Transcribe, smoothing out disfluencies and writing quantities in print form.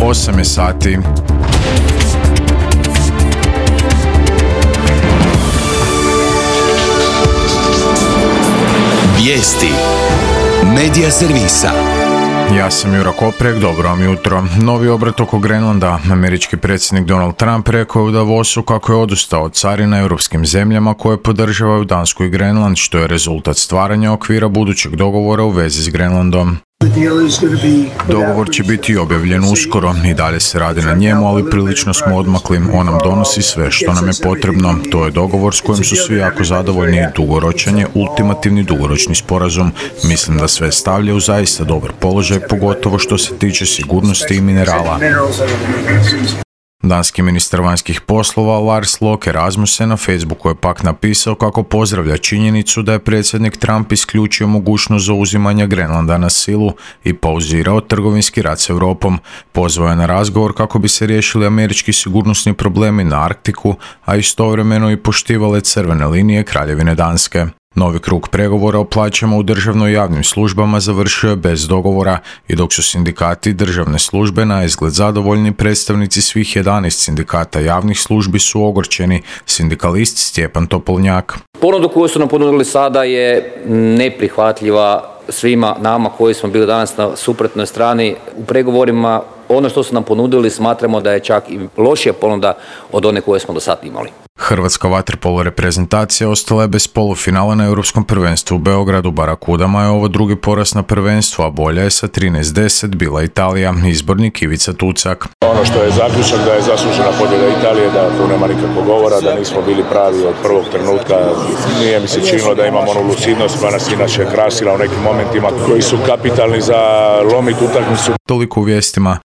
8 je sati. Vijesti Medija servisa. Ja sam Jura Koprek, dobro vam jutro. Novi obrat oko Grenlanda. Američki predsjednik Donald Trump rekao je u Davosu kako je odustao od carina europskim zemljama koje podržavaju Dansku i Grenland, što je rezultat stvaranja okvira budućeg dogovora u vezi s Grenlandom. Dogovor će biti objavljen uskoro, i dalje se radi na njemu, ali prilično smo odmakli. On nam donosi sve što nam je potrebno. To je dogovor s kojim su svi jako zadovoljni i dugoročan je ultimativni dugoročni sporazum. Mislim da sve stavlja u zaista dobar položaj, pogotovo što se tiče sigurnosti i minerala. Danski ministar vanjskih poslova Lars Løkke Rasmussen na Facebooku je pak napisao kako pozdravlja činjenicu da je predsjednik Trump isključio mogućnost zauzimanja Grenlanda na silu i pauzirao trgovinski rat s Europom. Pozvao je na razgovor kako bi se riješili američki sigurnosni problemi na Arktiku, a istovremeno i poštivale crvene linije Kraljevine Danske. Novi krug pregovora o plaćama u državno i javnim službama završio je bez dogovora, i dok su sindikati državne službe na izgled zadovoljni, predstavnici svih 11 sindikata javnih službi su ogorčeni. Sindikalist Stjepan Topolnjak. Ponudu koju su nam ponudili sada je neprihvatljiva svima nama koji smo bili danas na suprotnoj strani u pregovorima. Ono što su nam ponudili smatramo da je čak i lošija ponuda od one koje smo do sada imali. Hrvatska vaterpolo reprezentacija ostala je bez polufinala na Europskom prvenstvu u Beogradu. Barakudama je ovo drugi poraz na prvenstvu, a bolja je sa 13-10 bila Italija. Izbornik Ivica Tucak. Ono što je zaključak da je zaslužena pobjeda Italije, da tu nema nikakvog govora, da nismo bili pravi od prvog trenutka. Nije mi se činilo da imamo onu lucidnost koja nas inače krasila u nekim momentima koji su kapitalni za lomit utakmicu. Toliko u vijestima.